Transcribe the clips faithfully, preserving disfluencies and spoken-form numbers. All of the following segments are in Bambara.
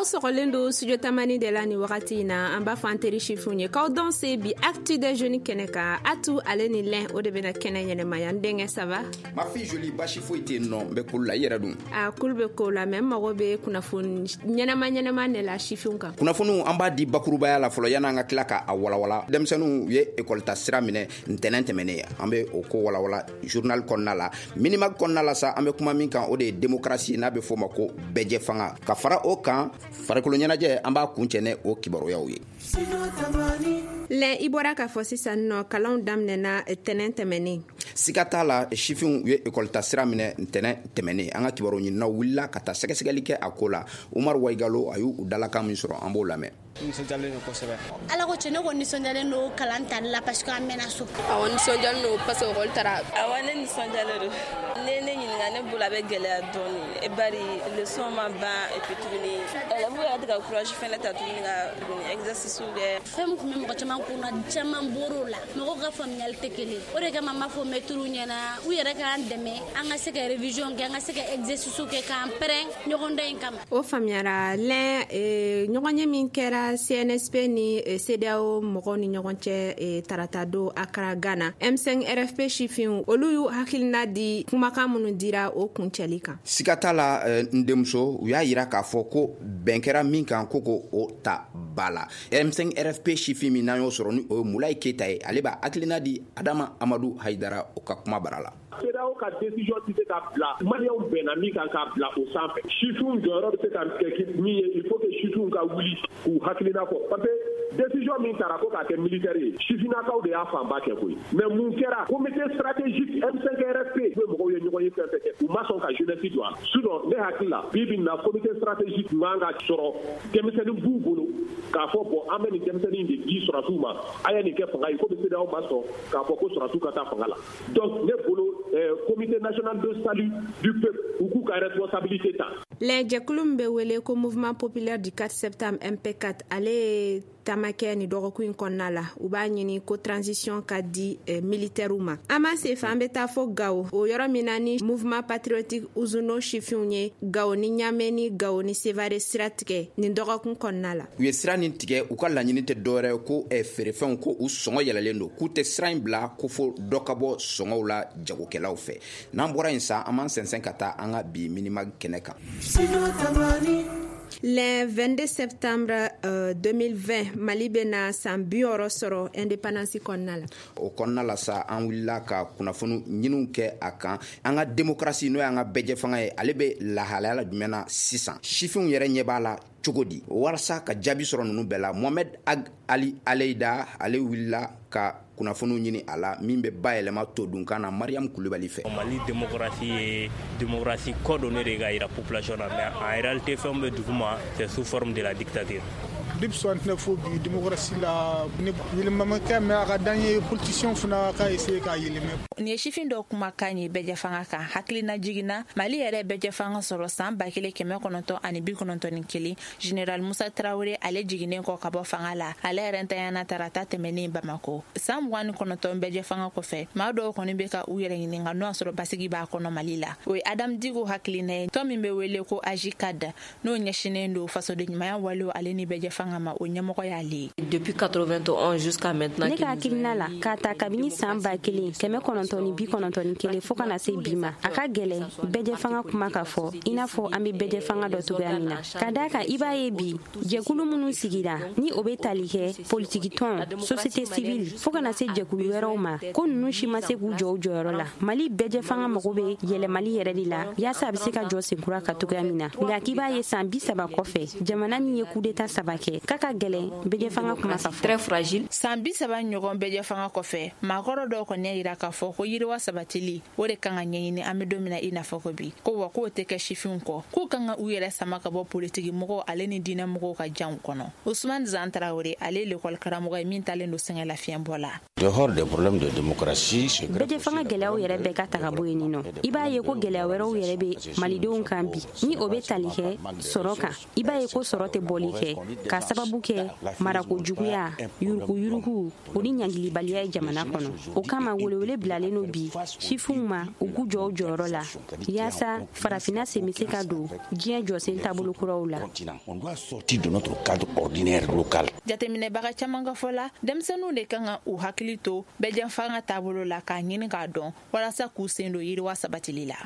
Aw sɔgɔlen don Studio Tamani de la. Ni wagati in na, an b'a fɔ an teri sifinw ye k'aw dɔn se bi Actu des Jeunes kɛnɛ kan. Atu ale ni lɛn, o de bɛna kɛnɛ ɲɛnɛmaya. N denkɛ, ça va? Ma fille jolie, basi foyi tɛ yen nɔ, n bɛ kulu la. I yɛrɛ dun? A kulu bɛ ko la, mɛ n mago bɛ kunnafoni ɲɛnɛma ɲɛnɛma de la sifinw kan. Kunnafoniw, an b'a di bakurubaya la fɔlɔ yan'an ka tila ka a walawala. Denmisɛnninw ye ekɔli ta sira minɛ ntɛnɛn tɛmɛnen, an bɛ o ko walawala journal kɔnɔna la. Minimag kɔnɔna la sa, an bɛ kuma min kan, o de ye démocratie, n'a bɛ fɔ o ma ko bɛɛjɛ fanga. Ka fara o kan, farikolo ɲɛnajɛ, an b'a kuncɛ ne o kibaruyaw ye. Lɛn, i bɔra k'a fɔ sisan nɔ, kalanw daminɛna tɛnɛn tɛmɛnen. Siga t'a la, sifinw ye ekɔli ta sira minɛ ntɛnɛn tɛmɛnen. An ka kibaru ɲininaw wulila ka taa sɛgɛsɛgɛli kɛ a ko la. Umaru Waigalo, a y'u dalakan min sɔrɔ, an b'o lamɛn. Nisɔndiyalen don kosɛbɛ. Ala ko cɛ, ne ko nisɔndiyalen don kalan tali la parce que an mɛnna so. Awɔ, nisɔndiyalen don parce que ekɔli taara. Awɔ, ne nisɔndiyalen don. Ne ne ɲininka, ne bolo a bɛ gɛlɛya dɔɔni, bari leçon ma ban. Et puis tuguni, élèves yɛrɛ tɛ ka courage fɛnɛ ta tuguni ka tuguni exercice kɛ. Fɛn min tun bɛ mɔgɔ caman kun na, caman bɔr'o la. Mɔgɔw ka faamuyali tɛ kelen, o de kama n b'a fɔ mɛtiriw ɲɛna, u yɛrɛ k'an dɛmɛ, an ka se ka révision kɛ, an ka se ka exercice kɛ, k'an pɛrɛn ɲɔgɔndan in kama. O faamuyara. Lɛn, ɲɔgɔn ye min kɛra C N S P ni CEDEAO mɔgɔw ni ɲɔgɔn cɛ tarata don Accra, Ghana, M cinq R F P sifinw, olu y'u hakilina di kumakan minnu dira o kuncɛli kan. Siga t'a la, n denmuso, u y'a yira k'a fɔ ko bɛn kɛra min kan, ko ko o ta ba la. M cinq R F P sifin min n'an y'o sɔrɔ, ni o ye Mulayi Keyita ye, ale b'a hakilina di Adama Amadu Hayidara, o ka kuma bara la. CEDEAO ka décision tɛ se ka bila Maliyɛnw bɛnna min kan k'a bila o sanfɛ. Sifinw jɔyɔrɔ bɛ se ka kɛ min ye, il faut que sifinw ka wuli k'u hakilina fɔ, parce que décision min taara ko k'a kɛ militaire ye, sifinnakaw de y'a fanba kɛ koyi. Mais mun kɛra? Comité stratégique M cinq R F P bɛ mɔgɔw ye ɲɔgɔn ye, fɛn fɛn kɛ, u ma sɔn ka jeunesse don a la. Sinon ne hakili la, bi bi in na, comité stratégique man ka sɔrɔ denmisɛnnin b'u bolo k'a fɔ: bon, an bɛ nin denmisɛnnin de di sɔrɔdasiw ma, a ye nin kɛ fanga ye, komi CEDEAO ma sɔn k'a fɔ ko sɔrɔdasiw ka taa fanga la. Donc ne bolo, Comité national de salut du peuple, u k'u ka responsabilité ta. Lɛn, jɛkulu min bɛ wele ko Mouvement populaire du quatre septembre, M P quatre, ale ye taama kɛ ni dɔgɔkun in kɔnɔna la. U b'a ɲini ko transition ka di eh, militaires ma. An b'an sen fɛ, an bɛ taa fɔ Gawo, o yɔrɔ min na ni Mouvement patriotique Uzuno sifinw ye Gawo ni Ɲamɛ ni Gawo ni Sevare sira tigɛ nin dɔgɔkun kɔnɔna la. U ye sira nin tigɛ, u ka laɲini tɛ dɔwɛrɛ ko eh, feerefɛnw ko u sɔngɔ yɛlɛlen don, k'u tɛ sira in bila ko fo dɔ ka bɔ sɔngɔw la jagokɛlaw fɛ. N'an bɔra yen sa, an b'an sɛnsɛn ka taa an ka bi Minimag kɛnɛ kan. Le vingt-deux septembre euh, deux mille vingt, Mali bɛna san bi wɔɔrɔ sɔrɔ indépendance kɔnɔna la. O kɔnɔna la sa, an wulila ka kunnafoni ɲiniw kɛ a kan. An ka démocratie, n'o y'an ka bɛɛjɛ fanga ye, ale bɛ lahalaya la jumɛn na sisan? Sifinw yɛrɛ ɲɛ b'a la cogo di? Walasa ka jaabi sɔrɔ ninnu bɛɛ la, Mohamed Ag Ali Aleyida, ale wulila ka kunnafoniw ɲini a la, min bɛ bayɛlɛma todunkan na Mariam Kulubali fɛ. Mali démocratie ye démocratie kɔ don ne de ka yira population na, mais en réalité, fɛn bɛ duguma, c'est sous forme de la dictature. Depuis soixante-neuf fo bi, démocratie la ni yɛlɛma ma kɛ, mais a ka d'an ye politicien fana ka essayer k'a yɛlɛmɛ. Nin ye sifin dɔ kumakan ye bɛɛjɛ fanga kan. Hakilina jiginna, Mali yɛrɛ bɛɛjɛ fanga sɔrɔ saan ba kelen kɛmɛ kɔnɔntɔn ani bi kɔnɔntɔn ni kelen. Général Musa Tarawele, ale jiginnen kɔ ka bɔ fanga la, ale yɛrɛ ntanyana tarata tɛmɛnen Bamako. Saan mugan ni kɔnɔntɔn bɛɛjɛ fanga kɔfɛ, maa dɔw kɔni be ka u yɛrɛ ɲininka n'o y'a sɔrɔ basigi b'a kɔnɔ Mali la. O ye Adam Digo hakilina ye. Tɔn min be wele ko AJCAD, n'o ɲɛsinen don fasoden ɲumanya walew ale ni bɛɛjɛ fanga ma, o ɲɛmɔgɔ y'ale ye. Depuis quatre-vingt-onze jusqu'à maintenant, ne ka hakilina la, k'a ta kabini saan ba kelen kɛmɛ kɔnɔntɔn ni bi kɔnɔntɔn ni kelen fɔɔ ka na se bi ma, a ka gwɛlɛn bɛɛjɛ fanga kuma ka fɔ i n'a fɔ an be bɛɛjɛ fanga dɔ togoya min na. Ka daa kan, i b'a ye bi, jɛkulu minnu sigira, ni o be tali kɛ politikitɔn, société civile, fɔɔ ka na se jɛkulu wɛrɛw ma, ko nunu si ma se k'u jɔ u jɔyɔrɔ la. Mali bɛɛjɛ fanga mago be yɛlɛmali yɛrɛ de la, yaasa a be se ka jɔ senkura ka togoya min na. Nka k'i b'a ye, saan bi saba kɔfɛ, jamana min ye kudeta saba kɛ, k'a ka gwɛlɛn bɛɛjɛ fanga kuma ka fɔ. Très fragile. Saan bi saba ɲɔgɔn bɛɛjɛ fanga kɔfɛ, maakɔrɔ dɔw kɔni y'a yira k'a fɔ ko yiriwa sabatili, o de kan ka ɲɛɲini an be don min na i n'a fɔ ko bi. Ko wa k'o tɛ kɛ sifinw kɔ, k'u kan ka u yɛrɛ sama ka bɔ politiki mɔgɔw ale ni diinɛ mɔgɔw ka janw kɔnɔ. Usman Zan Tarawele, ale ye lekɔli karamɔgɔ ye min talen don sɛgɛn lafiɲɛbɔ la. Dehors des problèmes de démocratie, bɛɛjɛ fanga gɛlɛyaw yɛrɛ bɛɛ ka ta ka bɔ yen nɔ, i b'a ye ko gɛlɛya wɛrɛw yɛrɛ bɛ malidenw kan bi, ni o bɛ tali kɛ sɔrɔ kan. I b'a ye ko sɔrɔ tɛ bɔli kɛ ka sababu kɛ marako juguya, yuruguyurugu o ni ɲangilibaliya ye jamana kɔnɔ. O kama welewele bilalen no bi sifinw ma, u k'u jɔ u jɔyɔrɔ la yaasa farafinna sen bɛ se ka don diɲɛ jɔsen taabolo kuraw la. Jateminɛbaga caman ka fɔ la, denmisɛnninw de kan ka u hakili to bɛɛjɛfanga taabolo la k'a ɲini k'a dɔn walasa k'u sen don yiriwa sabatili la.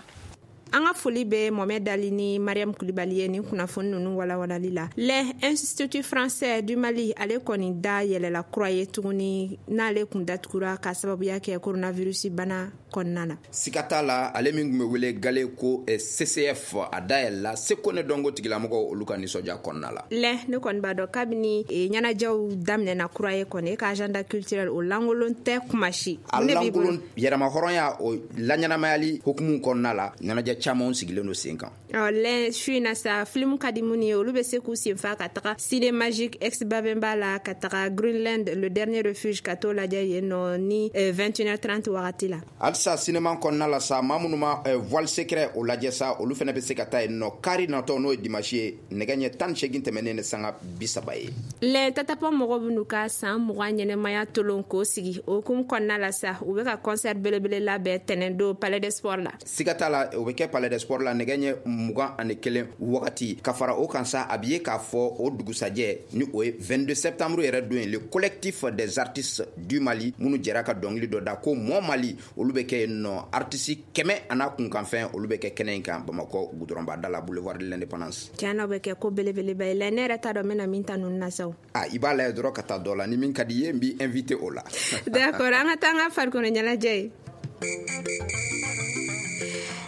An ka foli bɛ Mohamed Ali ni Mariam Kulibali ye nin kunnafoni ninnu walawalali la. L'Institut français du Mali, ale kɔni da yɛlɛla kura ye tuguni, n'ale kun datugura ka sababuya kɛ coronavirus bana kɔnɔna na. Siga t'a la, ale min tun bɛ wele gale ko C C F, a da yɛlɛla seko ne dɔnko tigilamɔgɔw olu ka nisɔndiya kɔnɔna la. Lɛ, ne kɔni b'a dɔn, kabini ɲɛnajɛw daminɛna kura ye kɔni, e ka agenda culturel o lankolon tɛ kuma si. A lankolon, yɛrɛmahɔrɔnya o laɲɛnamayali hukumu kɔnɔna la, ɲɛnajɛ caman sigilen don sen kan. Ɔ lɛ, su in na sa, film ka di minnu ye, olu bɛ se k'u sen fa ka taga Ciné Magique ex Babemba la, ka taga Greenland le dernier refuge, ka t'o lajɛ yen nɔ ni vingt et une heures trente wagati la. Halisa cinéma kɔnɔna la sa, maa minnu ma Voile secret o lajɛ sa, olu fana bɛ se ka taa yen nɔ kari natɔ, n'o ye dimanche ye, nɛgɛ ɲɛ tan ni seegin tɛmɛnen ni sanga bi saba ye. Lɛ, Tatapɔ mɔgɔw bɛ n'u ka san mugan ɲɛnɛmaya tolon k'o sigi. O hukumu kɔnɔna la sa, u bɛ ka concert belebele labɛn tɛnɛn don Palais des Sports la. Siga t'a la, o bɛ kɛ Palais des Sports la nɛgɛ ɲɛ mugan ani kelen wagati. Ka fara o kan sa, a bɛ ye k'a fɔ o dugusajɛ, ni o ye vingt-deux septembre yɛrɛ don ye, le Collectif des artistes du Mali minnu jɛra ka dɔnkili dɔ da ko Mon Mali, olu bɛ kɛ yen nɔ. Artiste kɛmɛ a n'a kunkanfɛn, olu bɛ kɛ kɛnɛ in kan Bamakɔ goudronba da la, boulevard de l'Indépendance. Tiɲɛ na, o bɛ kɛ ko belebeleba ye. Lɛ, ne yɛrɛ t'a dɔn n bɛna min ta ninnu na sa o. A i b'a lajɛ dɔrɔn ka taa dɔ la, ni min ka di i ye, n b'i invité o la. D'accord, an ka taa an ka farikolo ɲɛnajɛ ye.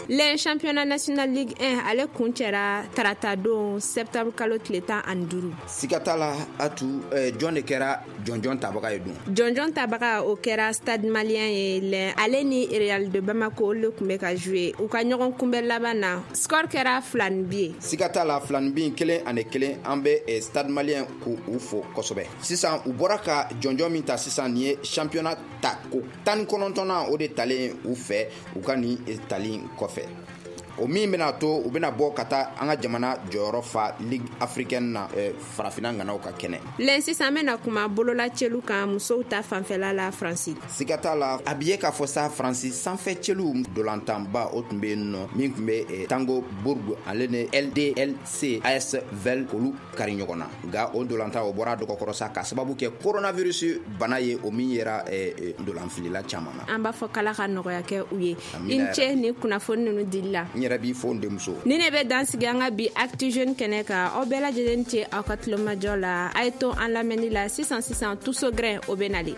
Le championnat national Ligue un, ale kuncɛra tarata don, septembre kalo tile tan ani duuru. Siga t'a la, Atu, eh, jɔn de kɛra jɔnjɔn tabaga ye dun? Jɔnjɔn tabaga, o kɛra Stade Malien ye. Lɛ, ale ni Real de Bamako, olu de tun bɛ ka jouer. U ka ɲɔgɔn kunbɛn laban na, score kɛra fila ni bi ye. Siga t'a la, fila ni bi kelen ani kelen. An bɛ eh, Stade Malien k'u u fo kosɛbɛ. Sisan u bɔra ka jɔnjɔn min ta sisan, nin ye championnat ta ko tan ni kɔnɔntɔnnan o de talen u fɛ. U ka nin tali kɔfɛ, o min bɛna to u bɛna bɔ ka taa an ka jamana jɔyɔrɔ fa Ligue africaine na, eh, farafinna ŋanaw ka kɛnɛ. Lɛn, sisan an bɛna kuma bololacelu kan, musow ta fanfɛla la, Faransi. Siga t'a la, a bi ye k'a fɔ sa, Faransi sanfɛ cɛluw dolantanba o tun bɛ yen nɔ, min tun bɛ eh, Tango Bourg, ale ni L D L C A S V olu kari ɲɔgɔn na. Nka o dolantan o bɔra dɔgɔkɔrɔ sa, ka sababu kɛ coronavirus bana ye, o min yera eh, dolanfilila caman na. An b'a fɔ k'Ala ka nɔgɔya kɛ u ye. I ni ce ni kunnafoni ninnu dili la. N yɛrɛ b'i fo, n denmuso. Ni ne bɛ dan sigi an ka bi Actu Jeune kɛnɛ kan. Aw bɛɛ lajɛlen ce aw ka tulomajɔ la. A ye to an lamɛnni la. Sisan sisan, Tuso Grɛn o bɛ nalen.